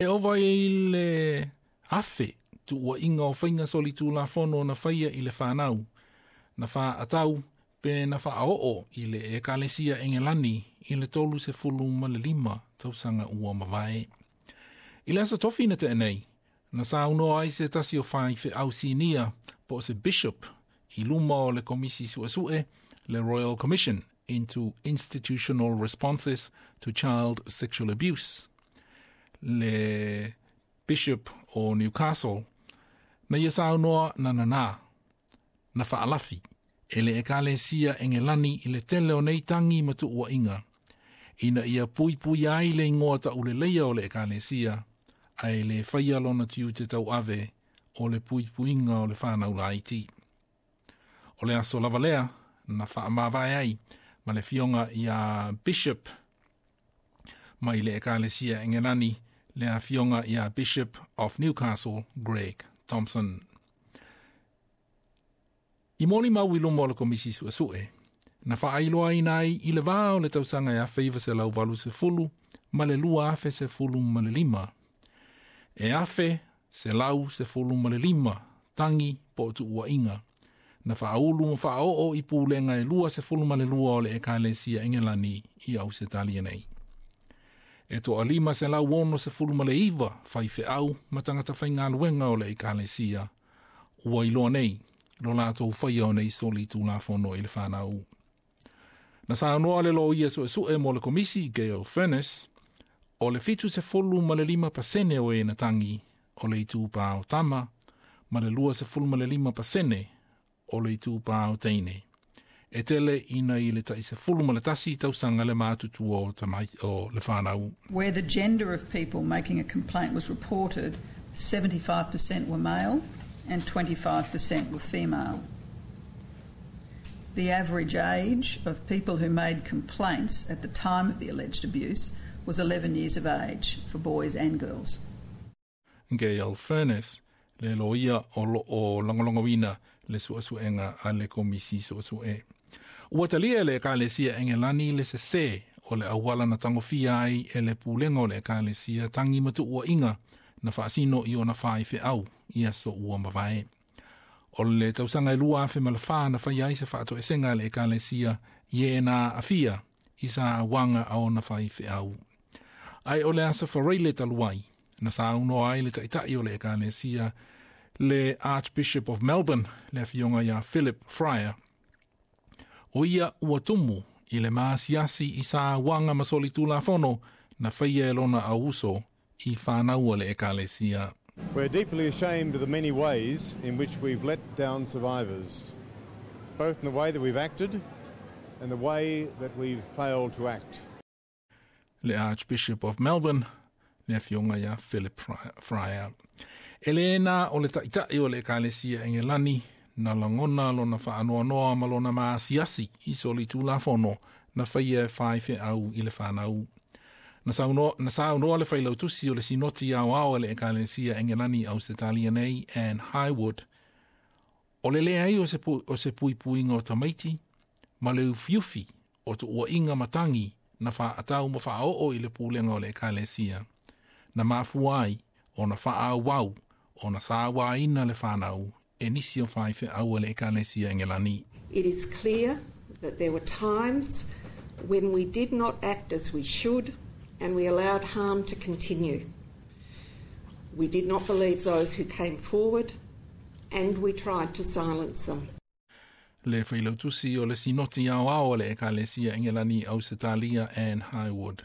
E ova i le 1,000 tuuaiga o faiga solitulafono na faia i le fanau, na faaatau pe na faaoo i le Ekalesia Engelani i le 35 tausaga ua mavae. I le aso Tofi na tea nei, na saunoa ai se tasi o faifeau sinia po o se bishop i luma o le Komisi Suesue, le Royal Commission into Institutional Responses to Child Sexual Abuse, le Bishop o Newcastle, na ia saunoa na nanā, na faalafi e le Ekalesia Engelani i le tele o nei tagi ma tuuaiga, ina ia puipui ai le igoa tauleleia o le Ekalesia, ae le faia lona tiute tauave o le puipuiga o le fanau laiti. O le aso lava lea, na faamavae ai ma le fioga ia Bishop mai le Ekalesia Engelani, le afioga ia Bishop of Newcastle, Greg Thompson. I molimau i luma o le Komisi Suesue, na faailoaina ai i le vā o le tausaga e 1980 ma le 2015. E 1,115 tagi po o tuuaiga, na faaulu ma faaoo i pulega e 22 o le Ekalesia Engelani i Ausetalia nei. E toa 569 faifeau ma tagata faigaluega o le Ekalesia, ua iloa nei lo latou faia o nei solitulafono i le fanau. Na saunoa le loia suesue mo le komisi, Gail Furness, o le 75% o e na tagi o le itupā o tama, ma le 25% o le itupā o teine. E tele ina i le tai 11 tausaga le matutua o, tamai, o le whanau. Where the gender of people making a complaint was reported, 75% were male and 25% were female. The average age of people who made complaints at the time of the alleged abuse was 11 years of age for boys and girls. Gail Furness, le loia o lo o lagolagoina le suesuega a le Komisi Suesue. Ua talia le Ekalesia Engelani le sesē o le auala na tagofia ai e le pulega o le Ekalesia tagi ma tuuaiga na faasino i ona faifeau i aso ua mavae. O le tausaga e 2004 na faia ai se faatoesega a le Ekalesia i e na aafia i sauaga a ona faifeau. Ae o le aso Faraile talu ai, na saunoa ai le taitai o le Ekalesia, le Archbishop of Melbourne, le afioga ia Philip Freier, o ia ua tumu i le maasiasi i sauaga ma solitulafono na faia e lona auuso i fanau a le Ekalesia. We're deeply ashamed of the many ways in which we've let down survivors, both in the way that we've acted and the way that we've failed to act. Le Archbishop of Melbourne, le afioga ia Philip Freier. E le na o le taitai o le Ekalesia Engelani na lagona lona faanoanoa ma lona maasiasi i solitulafono na faia e faifeau i le fanau. Na saunoa le failautusi o le Sinoti Aoao e le Ekalesia Engelani Ausetalia nei, Anne Highwood, o le leai o se puipuiga o tamaiti, ma le ufiufi o tuuaiga ma tagi na faaatau ma faaoo i le pulega o le Ekalesia, na mafua ai ona faaauau ona sauaina le fanau e nisi o faifeau a le Ekalesia Engelani. It is clear that there were times when we did not act as we should and we allowed harm to continue. We did not believe those who came forward and we tried to silence them. Le failautusi o le Sinoti Aoao o le Ekalesia Engelani Ausetalia, Anne Highwood.